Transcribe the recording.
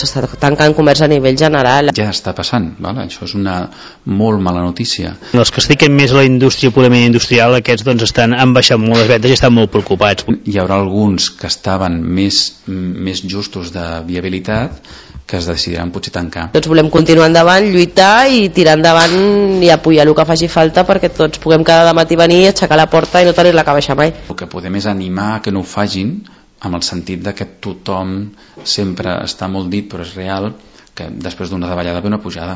S'està tancant comerç a nivell general. Ja està passant, vale? Això és una molt mala notícia. Els que es dediquen més a la indústria purament industrial, aquests doncs han baixat molt les vendes i estan molt preocupats. Hi haurà alguns que estaven més justos de viabilitat que es decidiran potser tancar. Tots volem continuar endavant, lluitar i tirar endavant i apoyar el que faci falta perquè tots puguem cada matí venir, aixecar la porta i no tenir-la que baixar mai. El que podem és animar que no ho facin, amb el sentit de que tothom sempre està molt dit, però és real que després d'una davallada ve una pujada.